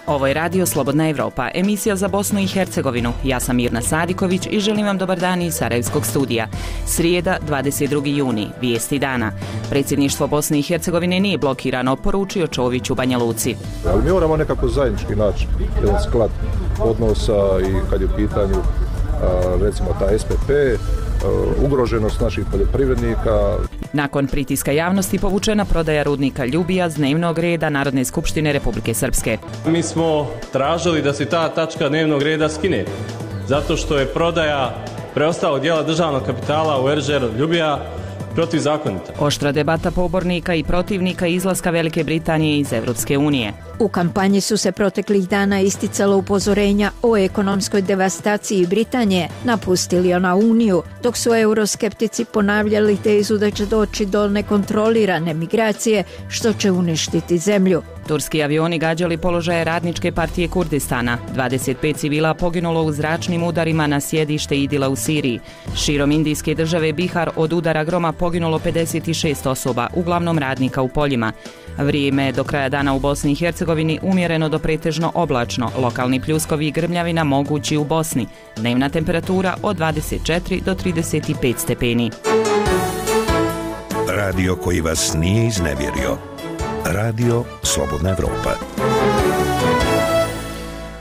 Ovo je Radio Slobodna Evropa, emisija za Bosnu i Hercegovinu. Ja sam Mirna Sadiković i želim vam dobar dan iz Sarajevskog studija. Srijeda, 22. juni, vijesti dana. Predsjedništvo Bosne i Hercegovine nije blokirano, poručio Čović u Banja Luci. Ali mi moramo nekako zajednički naći jedan sklad odnosa i kad je u pitanju recimo ta SPP, ugroženost naših poljoprivrednika. Nakon pritiska javnosti povučena prodaja rudnika Ljubija s dnevnog reda Narodne skupštine Republike Srpske. Mi smo tražili da se ta tačka dnevnog reda skine, zato što je prodaja preostalog dijela državnog kapitala u RŽR Ljubija protivzakonita. Oštra debata pobornika i protivnika izlaska Velike Britanije iz Evropske unije. U kampanji su se proteklih dana isticala upozorenja o ekonomskoj devastaciji Britanije, napustili ona Uniju, dok su euroskeptici ponavljali tezu da će doći do nekontrolirane migracije, što će uništiti zemlju. Turski avioni gađali položaje Radničke partije Kurdistana. 25 civila poginulo u zračnim udarima na sjedište IDIL-a u Siriji. Širom indijske države Bihar od udara groma poginulo 56 osoba, uglavnom radnika u poljima. Vrijeme do kraja dana u Bosni i Hercegovini umjereno do pretežno oblačno, lokalni pljuskovi i grmljavina mogući u Bosni. Dnevna temperatura od 24 do 35 stepeni. Radio koji vas nije iznevjerio. Radio Slobodna Evropa.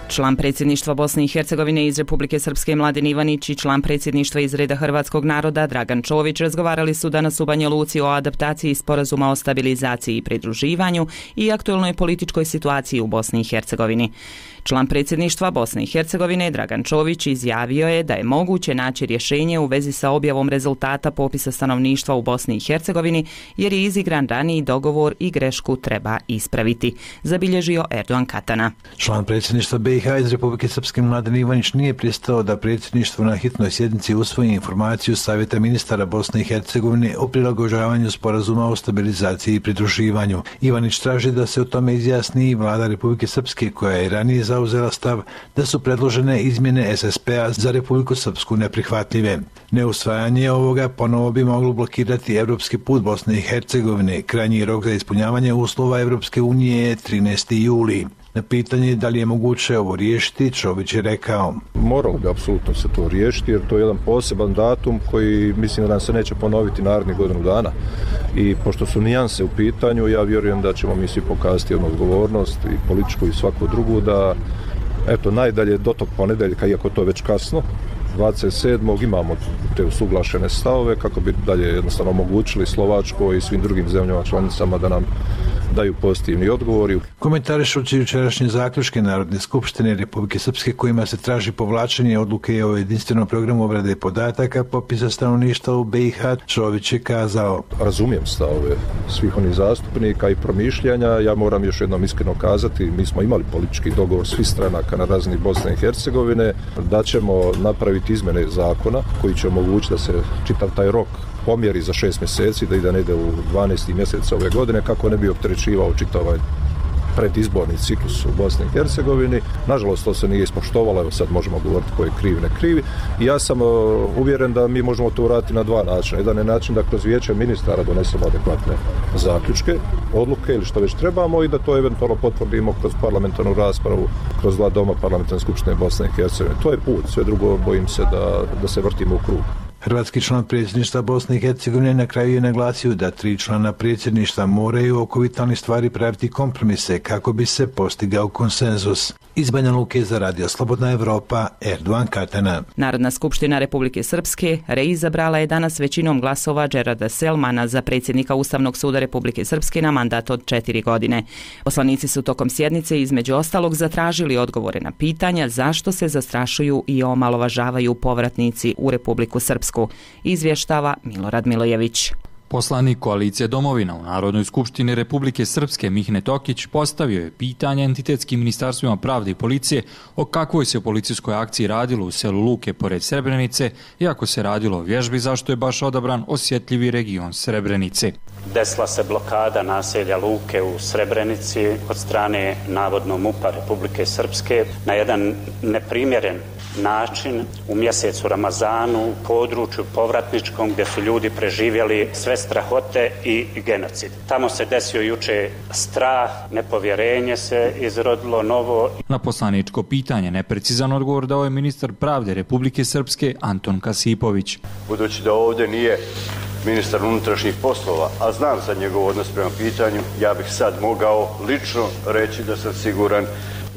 Član predsjedništva Bosne i Hercegovine iz Republike Srpske Mladen Ivanić i član predsjedništva iz reda hrvatskog naroda Dragan Čović razgovarali su danas u Banja Luci o adaptaciji sporazuma o stabilizaciji i pridruživanju i aktualnoj političkoj situaciji u Bosni i Hercegovini. Član predsjedništva Bosne i Hercegovine Dragan Čović izjavio je da je moguće naći rješenje u vezi sa objavom rezultata popisa stanovništva u Bosni i Hercegovini jer je izigran raniji dogovor i grešku treba ispraviti, zabilježio Erdogan Katana. Član predsjedništva BiH iz Republike Srpske Mladen Ivanić nije pristao da predsjedništvo na hitnoj sjednici usvoji informaciju Savjeta ministara Bosne i Hercegovine o prilagođavanju sporazuma o stabilizaciji i pridruživanju. Ivanić traži da se o tome izjasni i vlada Republike Srpske koja je ranije zauzela stav da su predložene izmjene SSP-a za Republiku Srpsku neprihvatljive. Neusvajanje ovoga ponovo bi moglo blokirati evropski put Bosne i Hercegovine. Krajnji rok za ispunjavanje uslova Evropske unije je 13. juli. Na pitanje da li je moguće ovo riješiti, Čović je rekao: Moralo bi apsolutno se to riješiti jer to je jedan poseban datum koji mislim da nam se neće ponoviti narednih godinu dana. I pošto su nijanse u pitanju, ja vjerujem da ćemo mi svi pokazati jednu odgovornost i političku i svaku drugu da eto najdalje do tog ponedjeljka, iako to je već kasno, 27. imamo te usuglašene stavove kako bi dalje jednostavno omogućili Slovačkoj i svim drugim zemljama članicama da nam daju pozitivni odgovori. Komentarišući jučerašnje zaključke Narodne skupštine Republike Srpske kojima se traži povlačenje odluke o jedinstvenom programu obrade podataka popisa stanovništva u BiH, Čović je kazao: Razumijem stavove svih onih zastupnika i promišljanja. Ja moram još jednom iskreno kazati, mi smo imali politički dogovor svih stranaka na razini Bosne i Hercegovine da ćemo napraviti izmjene zakona koji će omogućiti da se čitav taj rok pomjeri za 6 mjeseci, da ide negdje u 12. mjesec ove godine kako ne bi opterećivao čitav ovaj predizborni ciklus u Bosni i Hercegovini. Nažalost, to se nije ispoštovalo, evo sad možemo govoriti ko je kriv, ne krivi. I ja sam uvjeren da mi možemo to uraditi na dva načina. Jedan je način da kroz vijeće ministara donesemo adekvatne zaključke, odluke ili što već trebamo i da to eventualno potvrdimo kroz parlamentarnu raspravu, kroz dva doma parlamentarne skupštine Bosne i Hercegovine. To je put, sve drugo bojim se da se vrtimo u krug. Hrvatski član predsjedništva Bosne i Hercegovine na kraju je naglasio da 3 člana predsjedništva moraju oko vitalnih stvari praviti kompromise kako bi se postigao konsenzus. Iz Banja Luke za Radio Slobodna Evropa, Erdogan Katana. Narodna skupština Republike Srpske reizabrala je danas većinom glasova Džerada Selmana za predsjednika Ustavnog suda Republike Srpske na mandat od 4 godine. Poslanici su tokom sjednice između ostalog zatražili odgovore na pitanja zašto se zastrašuju i omalovažavaju povratnici u Republiku Srpsku, izvještava Milorad Milojević. Poslanik koalicije Domovina u Narodnoj skupštini Republike Srpske Mihne Tokić postavio je pitanje entitetskim ministarstvima pravde i policije o kakvoj se policijskoj akciji radilo u selu Luke pored Srebrenice, iako se radilo o vježbi zašto je baš odabran osjetljivi region Srebrenice. Desila se blokada naselja Luke u Srebrenici od strane navodno MUP-a Republike Srpske na jedan neprimjeren način u mjesecu Ramazanu u području povratničkom gdje su ljudi preživjeli sve strahote i genocid. Tamo se desio juče strah, nepovjerenje se izrodilo novo. Na poslaničko pitanje neprecizan odgovor dao je ministar pravde Republike Srpske Anton Kasipović. Budući da ovdje nije ministar unutrašnjih poslova, a znam za njegov odnos prema pitanju, ja bih sad mogao lično reći da sam siguran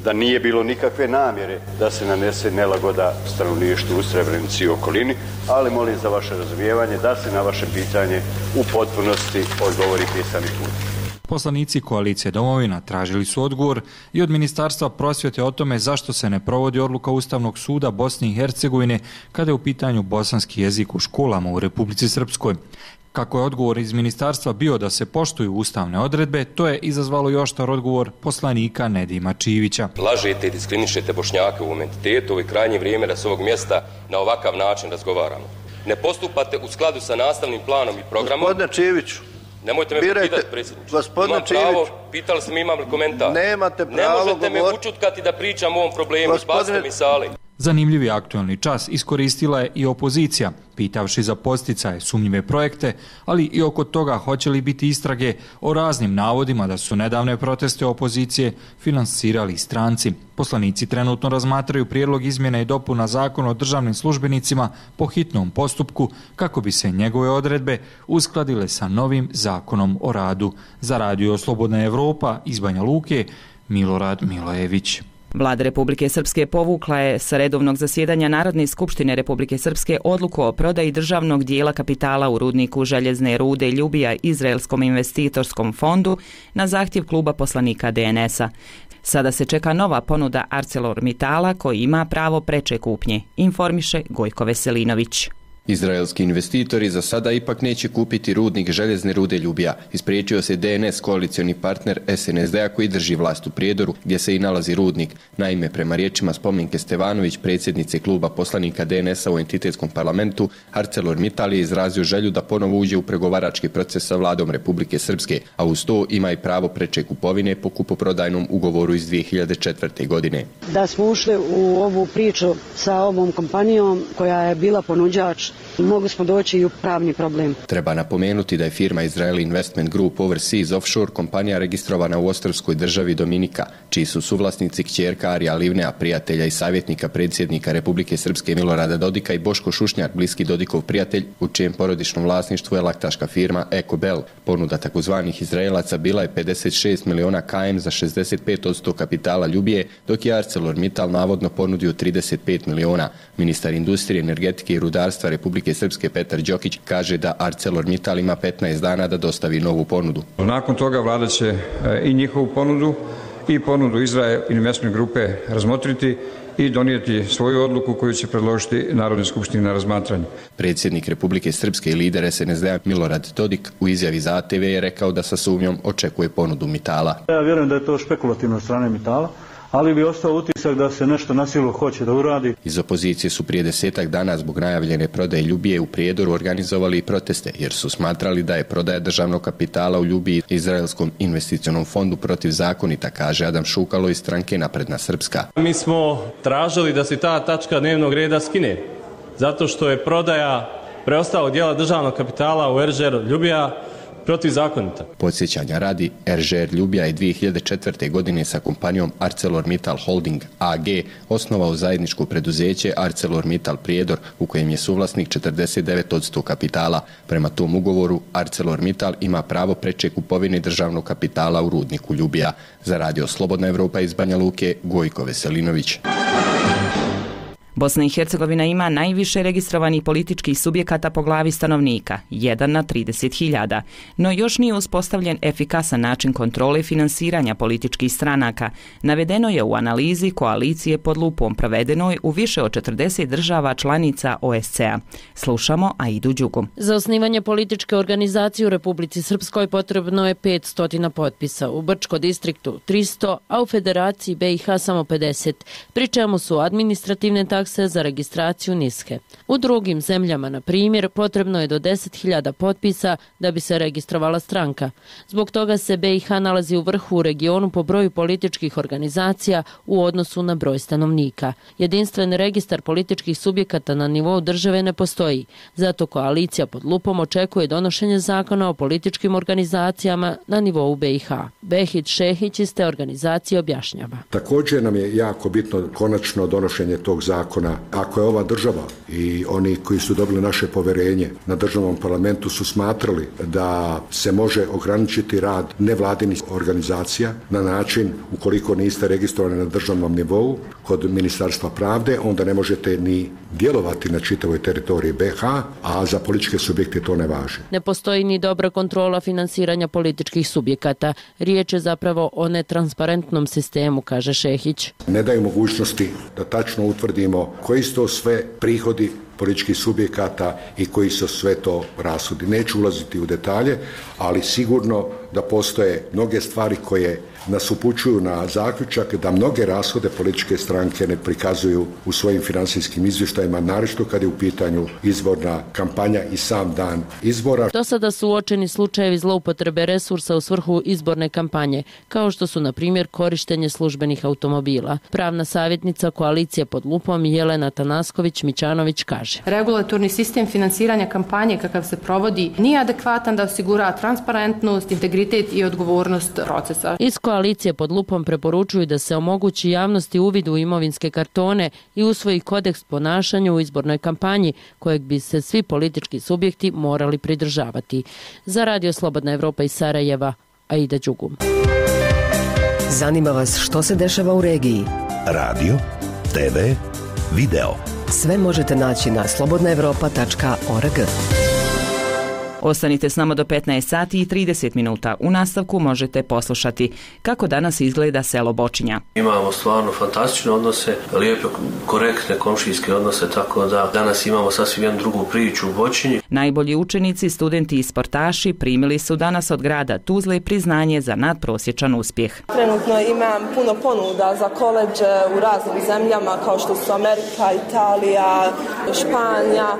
da nije bilo nikakve namjere da se nanese nelagoda stanovništvu u Srebrenici i okolini, ali molim za vaše razumijevanje da se na vaše pitanje u potpunosti odgovori pisanim putem. Poslanici koalicije Domovina tražili su odgovor i od Ministarstva prosvjete o tome zašto se ne provodi odluka Ustavnog suda Bosne i Hercegovine kada je u pitanju bosanski jezik u školama u Republici Srpskoj. Kako je odgovor iz ministarstva bio da se poštuju ustavne odredbe, to je izazvalo i oštar odgovor poslanika Nedima Čivića. Lažete i diskriminišete Bošnjake u ovom entitetu, ovo je krajnje vrijeme da s ovog mjesta na ovakav način razgovaramo. Ne skladu sa nastavnim planom i programom. Gospodine Čiviću, nemojte me pitati, predsjedniče. Gospodine Čiviću, pitali ste mi imam li komentar. Nemate pravo govoriti. Ne možete me učutkati da pričam o ovom problemu, spasite mi sali. Zanimljivi aktualni čas iskoristila je i opozicija, pitavši za podsticaje sumnjive projekte, ali i oko toga hoće li biti istrage o raznim navodima da su nedavne proteste opozicije finansirali stranci. Poslanici trenutno razmatraju prijedlog izmjena i dopuna Zakona o državnim službenicima po hitnom postupku kako bi se njegove odredbe uskladile sa novim Zakonom o radu. Za Radio Slobodna Evropa iz Banja Luke, Milorad Milojević. Vlada Republike Srpske povukla je sa redovnog zasjedanja Narodne skupštine Republike Srpske odluku o prodaji državnog dijela kapitala u rudniku željezne rude Ljubija Izraelskom investitorskom fondu na zahtjev kluba poslanika DNS-a. Sada se čeka nova ponuda ArcelorMittala koji ima pravo preče kupnje, informiše Gojko Veselinović. Izraelski investitori za sada ipak neće kupiti rudnik željezne rude Ljubija. Ispriječio se DNS koalicioni partner SNSD-a koji drži vlast u Prijedoru gdje se i nalazi rudnik. Naime, prema riječima Spomenke Stevanović, predsjednice kluba poslanika DNS-a u entitetskom parlamentu, ArcelorMittal je izrazio želju da ponovo uđe u pregovarački proces sa vladom Republike Srpske, a uz to ima i pravo preče kupovine po kupoprodajnom ugovoru iz 2004. godine. Da smo ušli u ovu priču sa ovom kompanijom koja je bila ponuđač, mogli smo doći i u pravni problem. Treba napomenuti da je firma Israel Investment Group Overseas Offshore kompanija registrovana u ostrvskoj državi Dominika, čiji su suvlasnici kćerka Arija Livnea, prijatelja i savjetnika predsjednika Republike Srpske Milorada Dodika i Boško Šušnjak, bliski Dodikov prijatelj, u čijem porodičnom vlasništvu je laktaška firma EcoBell. Ponuda takozvanih Izraelaca bila je 56 miliona KM za 65% kapitala Ljubije, dok je ArcelorMittal navodno ponudio 35 miliona. Ministar industrije, energetike i rudarstva Republike Srpske Petar Đokić kaže da ArcelorMittal ima 15 dana da dostavi novu ponudu. Nakon toga vlada će i njihovu ponudu i ponudu Izrael Investment grupe razmotriti i donijeti svoju odluku koju će predložiti Narodnoj skupštini na razmatranje. Predsjednik Republike Srpske i lider SNSD-a Milorad Dodik u izjavi za ATV je rekao da sa sumnjom očekuje ponudu Mittala. Ja vjerujem da je to špekulativno od strane Mittala, ali bi ostao utisak da se nešto na silu hoće da uradi. Iz opozicije su prije 10 dana zbog najavljene prodaje Ljubije u Prijedoru organizovali i proteste, jer su smatrali da je prodaja državnog kapitala u Ljubiji Izraelskom investicionom fondu protivzakonita, kaže Adam Šukalo iz stranke Napredna Srpska. Mi smo tražili da se ta tačka dnevnog reda skine, zato što je prodaja preostalog dijela državnog kapitala u RŽR Ljubija protivzakonita. Podsjećanja radi, RŽR Ljubija je 2004. godine sa kompanijom ArcelorMittal Holding AG osnovao zajedničko preduzeće ArcelorMittal Prijedor u kojem je suvlasnik 49% kapitala. Prema tom ugovoru ArcelorMittal ima pravo preče kupovine državnog kapitala u rudniku Ljubija. Za Radio Slobodna Evropa iz Banja Luke, Gojko Veselinović. Bosna i Hercegovina ima najviše registrovanih političkih subjekata po glavi stanovnika, 1 na 30.000, no još nije uspostavljen efikasan način kontrole finansiranja političkih stranaka. Navedeno je u analizi koalicije pod lupom provedenoj u više od 40 država članica OSCE-a. Slušamo Aidu Đugu. Za osnivanje političke organizacije u Republici Srpskoj potrebno je 500 potpisa, u Brčko distriktu 300, a u Federaciji BiH samo 50, pri čemu su administrativne takse takse za registraciju niske. U drugim zemljama, na primjer, potrebno je do 10.000 potpisa da bi se registrovala stranka. Zbog toga se BiH nalazi u vrhu u regionu po broju političkih organizacija u odnosu na broj stanovnika. Jedinstven registar političkih subjekata na nivou države ne postoji. Zato koalicija pod lupom očekuje donošenje zakona o političkim organizacijama na nivou BiH. Behit Šehić iz te organizacije objašnjava. Također nam je jako bitno konačno donošenje tog zakona. Ako je ova država i oni koji su dobili naše povjerenje na državnom parlamentu su smatrali da se može ograničiti rad nevladinih organizacija na način ukoliko niste registrovani na državnom nivou kod Ministarstva pravde, onda ne možete ni djelovati na čitavoj teritoriji BiH, a za političke subjekte to ne važi. Ne postoji ni dobra kontrola finansiranja političkih subjekata. Riječ je zapravo o netransparentnom sistemu, kaže Šehić. Ne daju mogućnosti da tačno utvrdimo koji su to sve prihodi političkih subjekata i koji su sve to rashodi. Neću ulaziti u detalje, ali sigurno da postoje mnoge stvari koje nas upućuju na zaključak da mnoge rashode političke stranke ne prikazuju u svojim financijskim izvještajima, naročito kad je u pitanju izborna kampanja i sam dan izbora. Do sada su uočeni slučajevi zloupotrebe resursa u svrhu izborne kampanje, kao što su, na primjer, korištenje službenih automobila. Pravna savjetnica koalicije pod lupom Jelena Tanasković-Mićanović kaže. Regulatorni sistem finansiranja kampanje kakav se provodi nije adekvatan da osigura transparentnost, integritet i odgovornost procesa. Iz koalicije pod lupom preporučuju da se omogući javnosti uvid u imovinske kartone i usvoji kodeks ponašanja u izbornoj kampanji kojeg bi se svi politički subjekti morali pridržavati. Za Radio Slobodna Evropa iz Sarajeva, Aida Đugum. Zanima vas što se dešava u regiji? Radio, TV, video. Sve možete naći na slobodnaevropa.org. Ostanite s nama do 15 sati i 30 minuta. U nastavku možete poslušati kako danas izgleda selo Bočinja. Imamo stvarno fantastične odnose, lijepe, korektne komšijske odnose, tako da danas imamo sasvim jednu drugu priču u Bočinji. Najbolji učenici, studenti i sportaši primili su danas od grada Tuzle priznanje za nadprosječan uspjeh. Trenutno imam puno ponuda za koledže u raznim zemljama kao što su Amerika, Italija, Španija.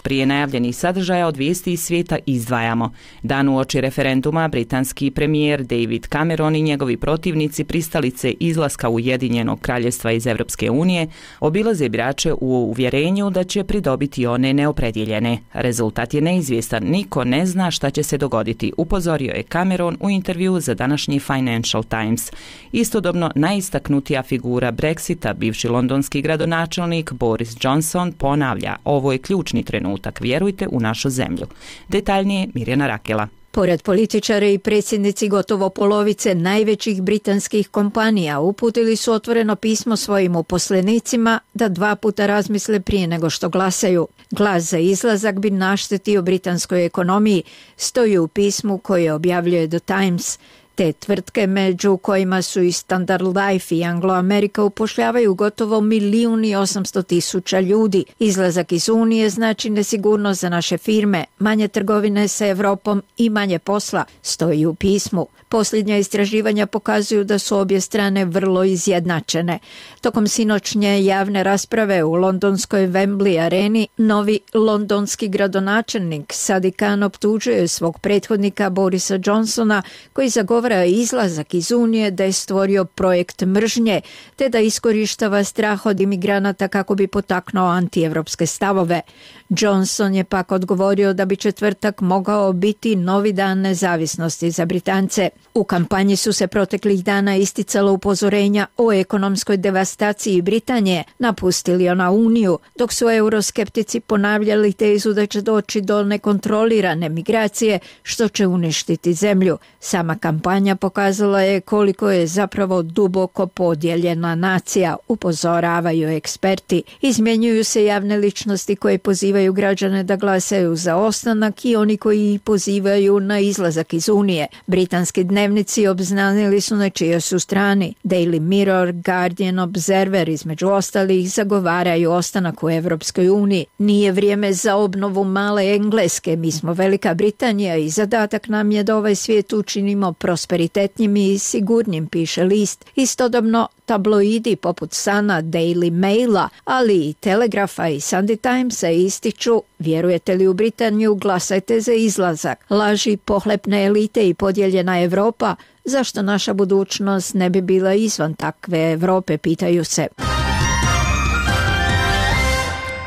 Prije najavljenih sadržaja od vijesti iz svijeta izdvajamo. Dan uoči referenduma britanski premijer David Cameron i njegovi protivnici pristalice izlaska Ujedinjenog kraljevstva iz Europske unije obilaze birače u uvjerenju da će pridobiti one neopredjeljene. Rezultat je neizvjestan, niko ne zna šta će se dogoditi, upozorio je Cameron u intervju za današnji Financial Times. Istodobno najistaknutija figura Brexita, bivši londonski gradonačelnik Boris Johnson, ponavlja: ovo je ključni trenutak, vjerujte u našu zemlju. Detaljnije Mirjana Rakela. Pored političara i predsjednici gotovo polovice najvećih britanskih kompanija uputili su otvoreno pismo svojim uposlenicima da 2 puta razmisle prije nego što glasaju. Glas za izlazak bi naštetio britanskoj ekonomiji, stoji u pismu koje objavljuje The Times. Te tvrtke, među kojima su i Standard Life i Anglo America, upošljavaju gotovo 1.800.000 ljudi. Izlazak iz Unije znači nesigurnost za naše firme, manje trgovine sa Europom i manje posla, stoji u pismu. Posljednja istraživanja pokazuju da su obje strane vrlo izjednačene. Tokom sinoćnje javne rasprave u londonskoj Wembley areni, novi londonski gradonačelnik Sadiq Khan optužuje svog prethodnika Borisa Johnsona, koji zagovara izlazak iz Unije, da je stvorio projekt mržnje, te da iskorištava strah od imigranata kako bi potaknuo antievropske stavove. Johnson je pak odgovorio da bi četvrtak mogao biti novi dan nezavisnosti za Britance. U kampanji su se proteklih dana isticala upozorenja o ekonomskoj devastaciji Britanije, napustili ona Uniju, dok su euroskeptici ponavljali tezu da će doći do nekontrolirane migracije, što će uništiti zemlju. Sama kampanja pokazala je koliko je zapravo duboko podijeljena nacija, upozoravaju eksperti. Izmjenjuju se javne ličnosti koje pozivaju pozivaju građane da glasaju za ostanak i oni koji pozivaju na izlazak iz Unije. Britanski dnevnici obznanili su na čijoj su strani. Daily Mirror, Guardian, Observer između ostalih zagovaraju ostanak u Evropskoj uniji. Nije vrijeme za obnovu male Engleske, mi smo Velika Britanija i zadatak nam je da ovaj svijet učinimo prosperitetnim i sigurnim, piše list. Istodobno tabloidi poput Sana, Daily Maila, ali i Telegrafa i Sunday Timesa ističu: vjerujete li u Britaniju, glasajte za izlazak. Laži pohlepne elite i podijeljena Europa, zašto naša budućnost ne bi bila izvan takve Europe, pitaju se.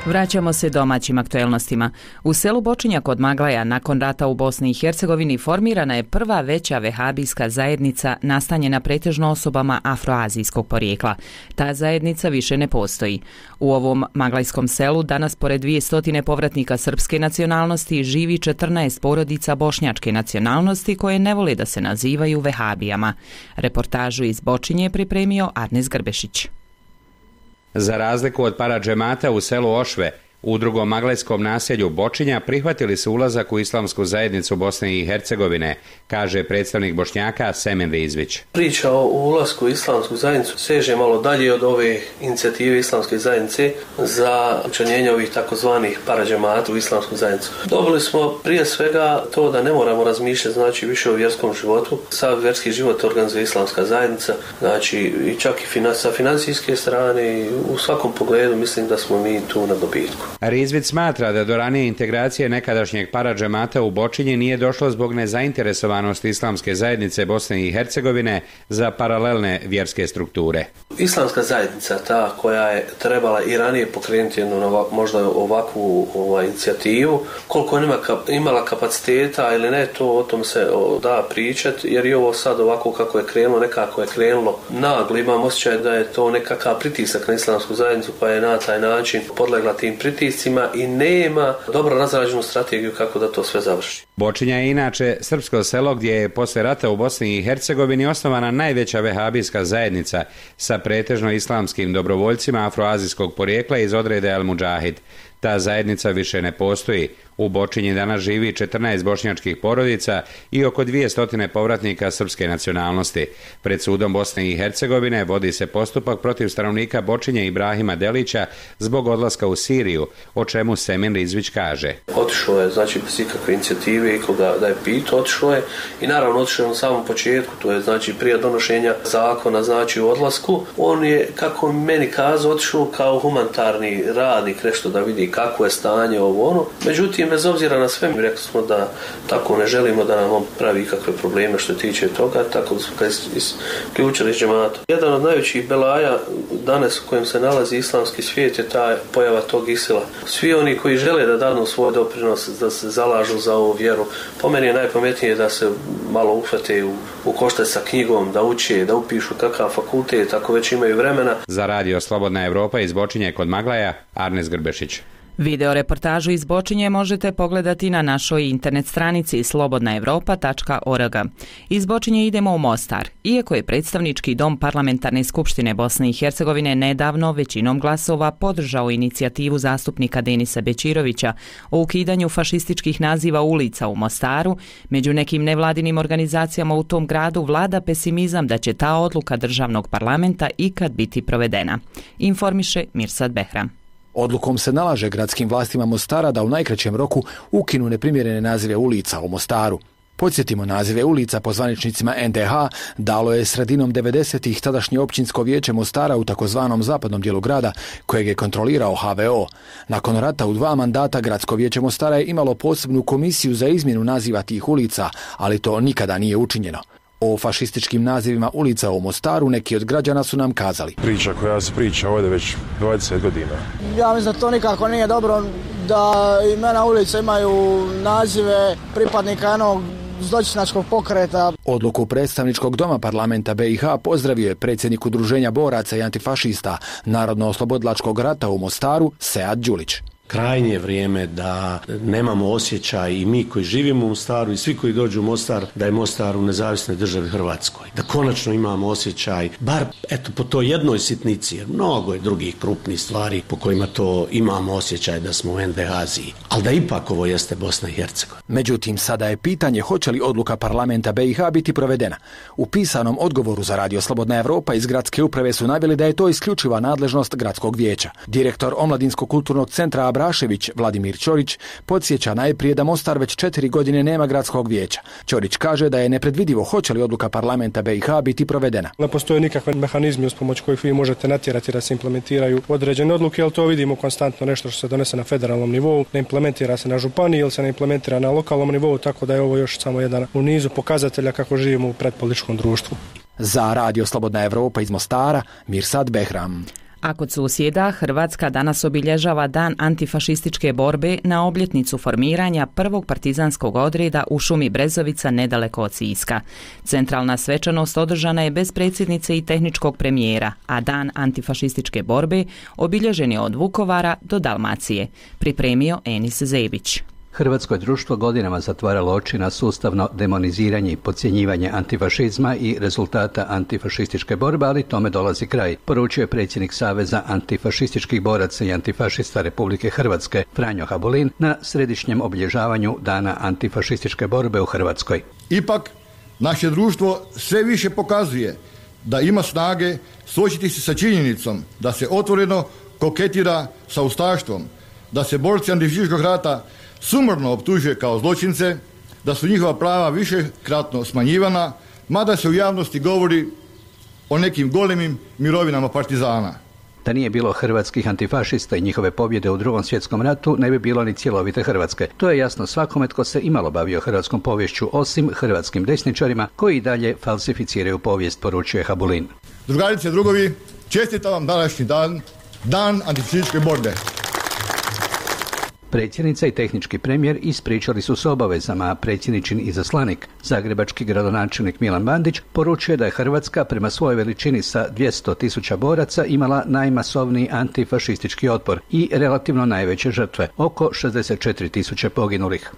Vraćamo se domaćim aktuelnostima. U selu Bočinja kod Maglaja nakon rata u Bosni i Hercegovini formirana je prva veća vehabijska zajednica nastanjena pretežno osobama afroazijskog porijekla. Ta zajednica više ne postoji. U ovom maglajskom selu danas pored 200 povratnika srpske nacionalnosti živi 14 porodica bošnjačke nacionalnosti koje ne vole da se nazivaju vehabijama. Reportažu iz Bočinje je pripremio Arnes Grbešić. Za razliku od paradžemata u selu Ošve, u drugom maglajskom naselju Bočinja prihvatili su ulazak u islamsku zajednicu Bosne i Hercegovine, kaže predstavnik Bošnjaka Semen Rizvić. Priča o ulasku u islamsku zajednicu seže malo dalje od ove inicijative islamske zajednice za učlanjenje ovih takozvanih paradžemata u islamsku zajednicu. Dobili smo prije svega to da ne moramo razmišljati znači više o vjerskom životu. Sav vjerski život organizuje islamska zajednica, znači i čak i sa financijske strane i u svakom pogledu mislim da smo mi tu na dobitku. Rizvić smatra da do ranije integracije nekadašnjeg paradžemata u Bočinje nije došlo zbog nezainteresovanosti islamske zajednice Bosne i Hercegovine za paralelne vjerske strukture. Islamska zajednica, ta koja je trebala i ranije pokrenuti jednu možda ovakvu inicijativu, koliko je imala kapaciteta ili ne, to o tom se da pričati, jer i ovo sad ovako kako je krenulo, nekako je krenulo naglo, imam osjećaj da je to nekakav pritisak na islamsku zajednicu pa je na taj način podlegla tim pritiscima i nema dobro razrađenu strategiju kako da to sve završi. Bočinja je inače srpsko selo gdje je posle rata u Bosni i Hercegovini osnovana najveća vehabijska zajednica sa pretežno islamskim dobrovoljcima afroazijskog porijekla iz odreda El Mudžahid. Ta zajednica više ne postoji. U Bočinji danas živi 14 bošnjačkih porodica i oko 200 povratnika srpske nacionalnosti. Pred sudom Bosne i Hercegovine vodi se postupak protiv stanovnika Bočinje Ibrahima Delića zbog odlaska u Siriju, o čemu Semen Rizvić kaže. Otišao je, znači bez ikakve inicijative i koga da je pitao, otišao je i naravno otišao je na samom početku, to je znači prije donošenja zakona, znači u odlasku. On je, kako meni kazao, otišao kao humanitarni radnik, nešto da vidi kako je stanje ovo ono. Međutim, bez obzira na sve, mi rekli smo da tako ne želimo da nam on pravi ikakve probleme što tiče toga, tako da smo ga isključili iz džemata. Jedan od najvećih belaja danas u kojem se nalazi islamski svijet je ta pojava tog Isila. Svi oni koji žele da danu svoj doprinos, da se zalažu za ovu vjeru, po meni je najpametnije da se malo uhvate u koštac sa knjigom, da uče, da upišu kakav fakultet, ako već imaju vremena. Za radio Slobodna Evropa iz Bočinje kod Maglaja, Arnes Grbešić. Video reportažu iz Bočinje možete pogledati na našoj internet stranici slobodnaevropa.org. Iz Bočinje idemo u Mostar. Iako je predstavnički dom Parlamentarne skupštine Bosne i Hercegovine nedavno većinom glasova podržao inicijativu zastupnika Denisa Bećirovića o ukidanju fašističkih naziva ulica u Mostaru, među nekim nevladinim organizacijama u tom gradu vlada pesimizam da će ta odluka državnog parlamenta ikad biti provedena. Informiše Mirsad Behram. Odlukom se nalaže gradskim vlastima Mostara da u najkraćem roku ukinu neprimjerene nazive ulica u Mostaru. Podsjetimo, nazive ulica po zvaničnicima NDH dalo je sredinom 90-ih tadašnje općinsko vijeće Mostara u takozvanom zapadnom dijelu grada, kojeg je kontrolirao HVO. Nakon rata u 2 mandata gradsko vijeće Mostara je imalo posebnu komisiju za izmjenu naziva tih ulica, ali to nikada nije učinjeno. O fašističkim nazivima ulica u Mostaru neki od građana su nam kazali. Priča koja se priča ovdje već 20 godina. Ja mislim da to nikako nije dobro da imena ulica imaju nazive pripadnika jednog zločinačkog pokreta. Odluku predstavničkog doma parlamenta BiH pozdravio je predsjednik udruženja boraca i antifašista Narodno-oslobodilačkog rata u Mostaru, Sead Đulić. Krajnje je vrijeme da nemamo osjećaj i mi koji živimo u Mostaru i svi koji dođu u Mostar, da je Mostar u nezavisnoj državi Hrvatskoj. Da konačno imamo osjećaj, bar eto po toj jednoj sitnici, jer mnogo je drugih krupnih stvari po kojima to imamo osjećaj da smo u NDH-aziji. Ali da ipak ovo jeste Bosna i Hercegovina. Međutim, sada je pitanje hoće li odluka parlamenta BiH biti provedena. U pisanom odgovoru za Radio Slobodna Evropa iz gradske uprave su naveli da je to isključiva nadležnost gradskog vijeća. Direktor Omladinskog kulturnog centra Abrašević, Vladimir Ćorić, podsjeća najprije da Mostar već 4 godine nema gradskog vijeća. Ćorić kaže da je nepredvidivo hoće li odluka parlamenta BiH biti provedena. Ne postoje nikakve mehanizmi uz pomoć kojih vi možete natjerati da se implementiraju određene odluke, ali to vidimo konstantno nešto što se donese na federalnom nivou, ne implementira se na županiji ili se ne implementira na lokalnom nivou, tako da je ovo još samo jedan u nizu pokazatelja kako živimo u predpolitičkom društvu. Za Radio Slobodna Evropa iz Mostara, Mirsad Behram. A kod susjeda, Hrvatska danas obilježava Dan antifašističke borbe na obljetnicu formiranja prvog partizanskog odreda u šumi Brezovica nedaleko od Siska. Centralna svečanost održana je bez predsjednice i tehničkog premijera, a Dan antifašističke borbe obilježen je od Vukovara do Dalmacije. Pripremio Enis Zebić. Hrvatsko društvo godinama zatvaralo oči na sustavno demoniziranje i podcjenjivanje antifašizma i rezultata antifašističke borbe, ali tome dolazi kraj, poručio je predsjednik Saveza antifašističkih boraca i antifašista Republike Hrvatske, Franjo Habulin, na središnjem obilježavanju Dana antifašističke borbe u Hrvatskoj. Ipak, naše društvo sve više pokazuje da ima snage suočiti se sa činjenicom da se otvoreno koketira sa ustaštvom, da se borci antifašističkog rata sumorno optužuje kao zločince, da su njihova prava višekratno smanjivana, mada se u javnosti govori o nekim golemim mirovinama partizana. Da nije bilo hrvatskih antifašista i njihove pobjede u Drugom svjetskom ratu, ne bi bilo ni cjelovite Hrvatske. To je jasno svakome tko se imalo bavio hrvatskom poviješću, osim hrvatskim desničarima koji dalje falsificiraju povijest, poručuje Habulin. Drugarice i drugovi, čestitam vam današnji dan, Dan antifašističke borbe. Predsjednica i tehnički premijer ispričali su s obavezama, a predsjedničin izaslanik, zagrebački gradonačelnik Milan Bandić, poručuje da je Hrvatska prema svojoj veličini sa 200.000 boraca imala najmasovniji antifašistički otpor i relativno najveće žrtve, oko 64.000 poginulih.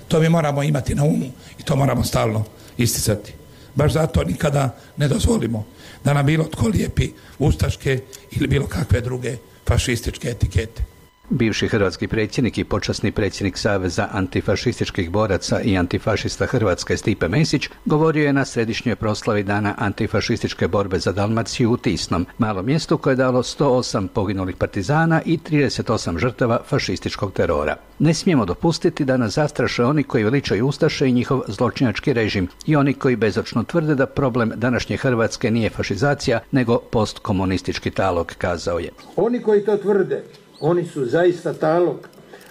To mi moramo imati na umu i to moramo stalno isticati. Baš zato nikada ne dozvolimo da nam bilo tko lijepi ustaške ili bilo kakve druge fašističke etikete. Bivši hrvatski predsjednik i počasni predsjednik Saveza antifašističkih boraca i antifašista Hrvatske Stipe Mesić govorio je na središnjoj proslavi Dana antifašističke borbe za Dalmaciju u Tisnom, malom mjestu koje je dalo 108 poginulih partizana i 38 žrtava fašističkog terora. Ne smijemo dopustiti da nas zastraše oni koji veličaju ustaše i njihov zločinački režim i oni koji bezočno tvrde da problem današnje Hrvatske nije fašizacija, nego postkomunistički talog, kazao je. Oni koji to tvrde, oni su zaista talog,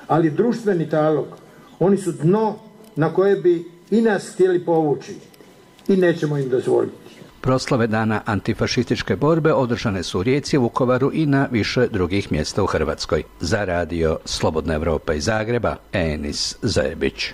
ali društveni talog. Oni su dno na koje bi i nas htjeli povući i nećemo im dozvoliti. Proslave Dana antifašističke borbe održane su u Rijeci, Vukovaru i na više drugih mjesta u Hrvatskoj. Za Radio Slobodna Evropa iz Zagreba, Enis Zebić.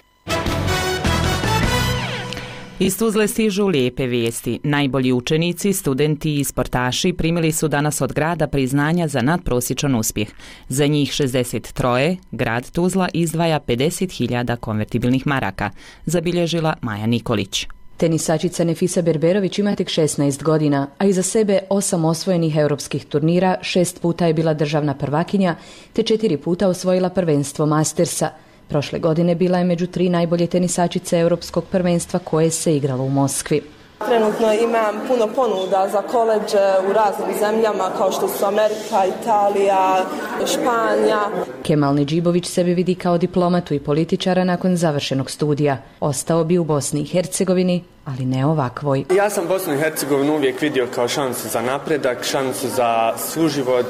Iz Tuzle stižu lijepe vijesti. Najbolji učenici, studenti i sportaši primili su danas od grada priznanja za nadprosječan uspjeh. Za njih 63 grad Tuzla izdvaja 50.000 konvertibilnih maraka, zabilježila Maja Nikolić. Tenisačica Nefisa Berberović ima tek 16 godina, a iza sebe 8 osvojenih europskih turnira, 6 puta je bila državna prvakinja, te 4 puta osvojila prvenstvo Mastersa. Prošle godine bila je među 3 najbolje tenisačice europskog prvenstva koje se igralo u Moskvi. Trenutno imam puno ponuda za koledže u raznim zemljama kao što su Amerika, Italija, Španija. Kemal Nedžibović sebe vidi kao diplomatu i političara nakon završenog studija. Ostao bi u Bosni i Hercegovini, ali ne ovakvoj. Ja sam Bosnu i Hercegovinu uvijek vidio kao šansu za napredak, šansu za suživot,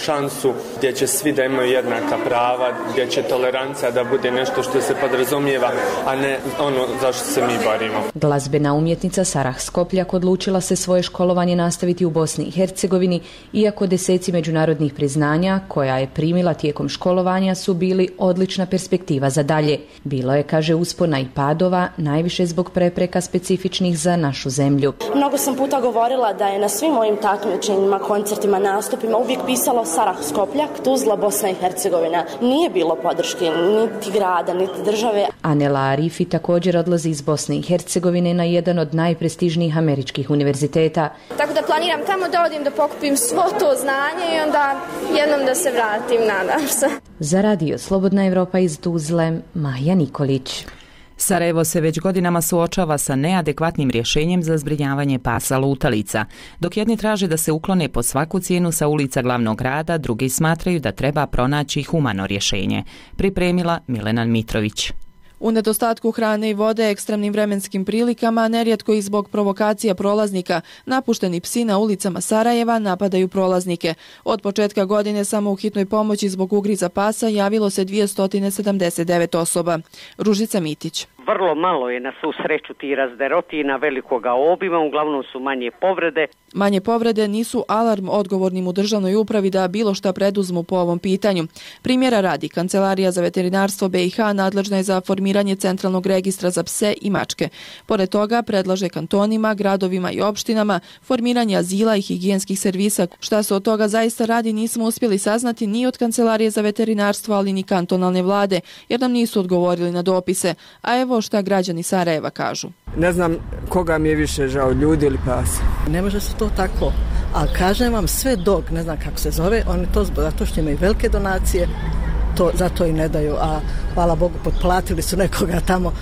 šansu gdje će svi da imaju jednaka prava, gdje će tolerancija da bude nešto što se podrazumijeva, a ne ono zašto se mi borimo. Glazbena umjetnica Sarah Skopljak odlučila se svoje školovanje nastaviti u Bosni i Hercegovini, iako deseci međunarodnih priznanja koja je primila tijekom školovanja školovanja su bili odlična perspektiva za dalje. Bilo je, kaže, uspona i padova, najviše zbog prepreka specifičnih za našu zemlju. Mnogo sam puta govorila da je na svim mojim takmičenjima, koncertima, nastupima uvijek pisalo Sarah, Skopljak, Tuzla, Bosna i Hercegovina. Nije bilo podrške niti grada, niti države. Anela Arifi također odlazi iz Bosne i Hercegovine na jedan od najprestižnijih američkih univerziteta. Tako da planiram tamo da odim da pokupim svo to znanje i onda jednom da se vratim, nadam se. Za radio Slobodna Evropa iz Tuzle, Maja Nikolić. Sarajevo se već godinama suočava sa neadekvatnim rješenjem za zbrinjavanje pasa lutalica. Dok jedni traže da se uklone po svaku cijenu sa ulica glavnog grada, drugi smatraju da treba pronaći humano rješenje. Pripremila Milena Mitrović. U nedostatku hrane i vode, ekstremnim vremenskim prilikama, nerijetko i zbog provokacija prolaznika, napušteni psi na ulicama Sarajeva napadaju prolaznike. Od početka godine samo u hitnoj pomoći zbog ugriza pasa javilo se 279 osoba. Ružica Mitić. Vrlo malo je na svu sreću ti razderotina velikoga obima, uglavnom su manje povrede. Manje povrede nisu alarm odgovornim u državnoj upravi da bilo šta preduzmu po ovom pitanju. Primjera radi, Kancelarija za veterinarstvo BiH nadležna je za formiranje centralnog registra za pse i mačke. Pored toga predlaže kantonima, gradovima i opštinama formiranje azila i higijenskih servisa. Šta se od toga zaista radi nismo uspjeli saznati ni od Kancelarije za veterinarstvo, ali ni kantonalne vlade, jer nam nisu odgovorili na dopise. A evo šta građani Sarajeva kažu. Ne znam koga mi je više žao, ljudi ili pasa. Ne može se to tako, ali kažem vam sve dok, ne znam kako se zove, oni to zato što imaju velike donacije, to zato i ne daju, a hvala Bogu potplatili su nekoga tamo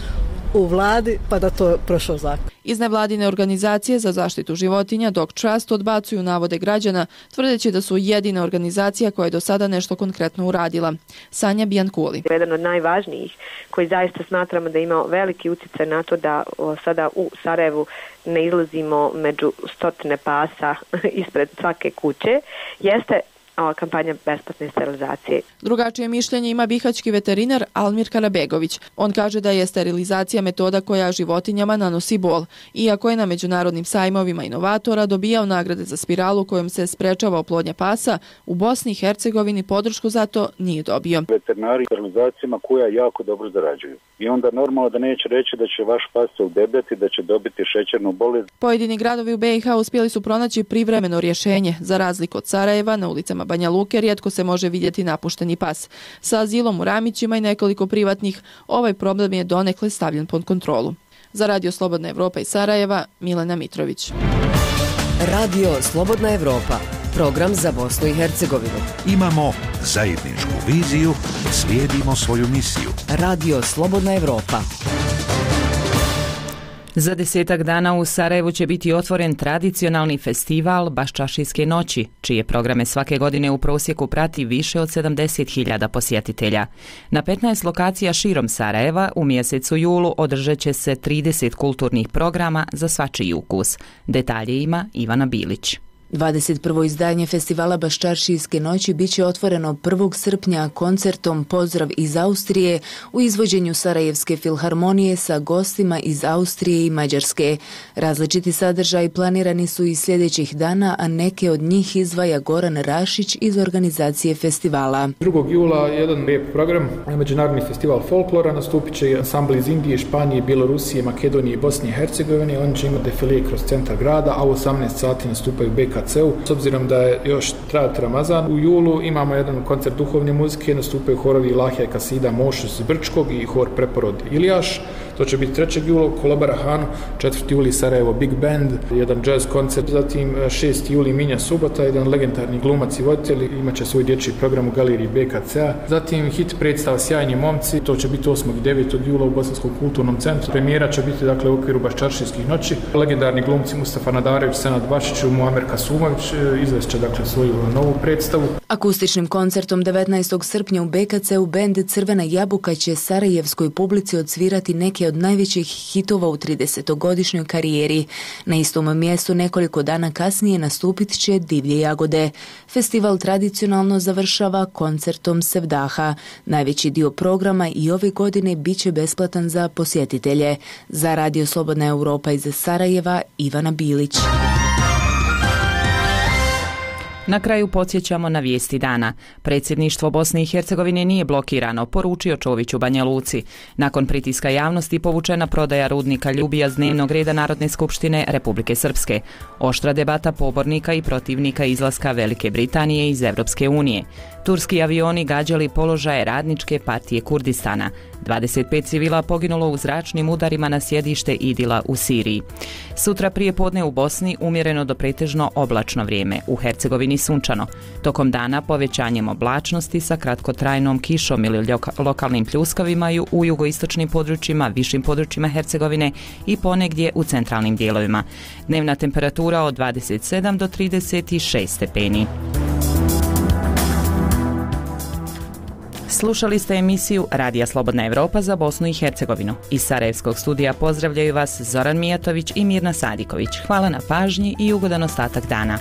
u vladi pa da to prošao zakon. Iz nevladine organizacije za zaštitu životinja Dog Trust odbacuju navode građana, tvrdeći da su jedina organizacija koja je do sada nešto konkretno uradila. Sanja Bijankuli. Jedan od najvažnijih koji zaista smatramo da ima veliki utjecaj na to da sada u Sarajevu ne izlazimo među stotine pasa ispred svake kuće, jeste kampanja besplatne sterilizacije. Drugačije mišljenje ima bihaćki veterinar Almir Karabegović. On kaže da je sterilizacija metoda koja životinjama nanosi bol. Iako je na međunarodnim sajmovima inovatora dobijao nagrade za spiralu kojom se sprečava oplodnja pasa, u Bosni i Hercegovini podršku za to nije dobio. Veterinari sterilizacijama koja jako dobro zarađuju. I onda normalno da neće reći da će vaš pas se udebljati, da će dobiti šećernu bolest. Pojedini gradovi u BiH uspjeli su pronaći privremeno rješenje. Za razliku od Sarajeva, na ulicama Banja Luke rijetko se može vidjeti napušteni pas. Sa azilom u Ramićima i nekoliko privatnih, ovaj problem je donekle stavljen pod kontrolu. Za Radio Slobodna Evropa iz Sarajeva, Milena Mitrović. Radio Slobodna Evropa, program za Bosnu i Hercegovinu. Imamo zajedničku viziju, slijedimo svoju misiju. Radio Slobodna Evropa. Za 10 dana u Sarajevu će biti otvoren tradicionalni festival Baščašijske noći, čije programe svake godine u prosjeku prati više od 70.000 posjetitelja. Na 15 lokacija širom Sarajeva u mjesecu julu održat će se 30 kulturnih programa za svačiji ukus. Detalje ima Ivana Bilić. 21. izdanje festivala Baščaršijske noći biće otvoreno 1. srpnja koncertom Pozdrav iz Austrije u izvođenju Sarajevske filharmonije sa gostima iz Austrije i Mađarske. Različiti sadržaji planirani su i sljedećih dana, a neke od njih izdvaja Goran Rašić iz organizacije festivala. 2. jula jedan lijep program, Međunarodni festival folklora, nastupit će ansambl iz Indije, Španije, Bjelorusije, Makedonije i Bosne i Hercegovine. Oni će imati defilije kroz centar grada, a u 18 sati nastupaju BKC. S obzirom da je još trajat Ramazan, u julu imamo jedan koncert duhovne muzike, nastupaju horovi Ilahija Kasida Mošus iz Brčkog i hor Preporod Ilijaš. To će biti 3. jula Kolobara Han, 4. juli Sarajevo Big Band, jedan jazz koncert, zatim 6. juli Minja Subota, jedan legendarni glumac i voditelj, imat će svoj dječji program u galeriji BKC-a. Zatim hit predstava Sjajni momci, to će biti 8. i 9. jula u Bosanskom kulturnom centru. Premijera će biti dakle u okviru Baščaršijskih noći. Legendarni glumci Mustafa Nadarević, Senad Bašić i Muamer Kasumović izvešće dakle svoju novu predstavu. Akustičnim koncertom 19. srpnja u BKC-u bend Crvena jabuka će sarajevskoj publici odsvirati neke od najvećih hitova u 30-godišnjoj karijeri. Na istom mjestu nekoliko dana kasnije nastupit će Divlje jagode. Festival tradicionalno završava koncertom Sevdaha. Najveći dio programa i ove godine bit će besplatan za posjetitelje. Za Radio Slobodna Evropa iz Sarajeva, Ivana Bilić. Na kraju podsjećamo na vijesti dana. Predsjedništvo Bosne i Hercegovine nije blokirano, poručio Čović u Banja Luci. Nakon pritiska javnosti povučena prodaja rudnika Ljubija s dnevnog reda Narodne skupštine Republike Srpske. Oštra debata pobornika i protivnika izlaska Velike Britanije iz Evropske unije. Turski avioni gađali položaje Radničke partije Kurdistana. 25 civila poginulo u zračnim udarima na sjedište Idila u Siriji. Sutra prije podne u Bosni umjereno do pretežno oblačno vrijeme, u Hercegovini sunčano. Tokom dana povećanjem oblačnosti sa kratkotrajnom kišom ili lokalnim pljuskavima u jugoistočnim područjima, višim područjima Hercegovine i ponegdje u centralnim dijelovima. Dnevna temperatura od 27 do 36 stepeni. Slušali ste emisiju Radija Slobodna Evropa za Bosnu i Hercegovinu. Iz Sarajevskog studija pozdravljaju vas Zoran Mijatović i Mirna Sadiković. Hvala na pažnji i ugodan ostatak dana.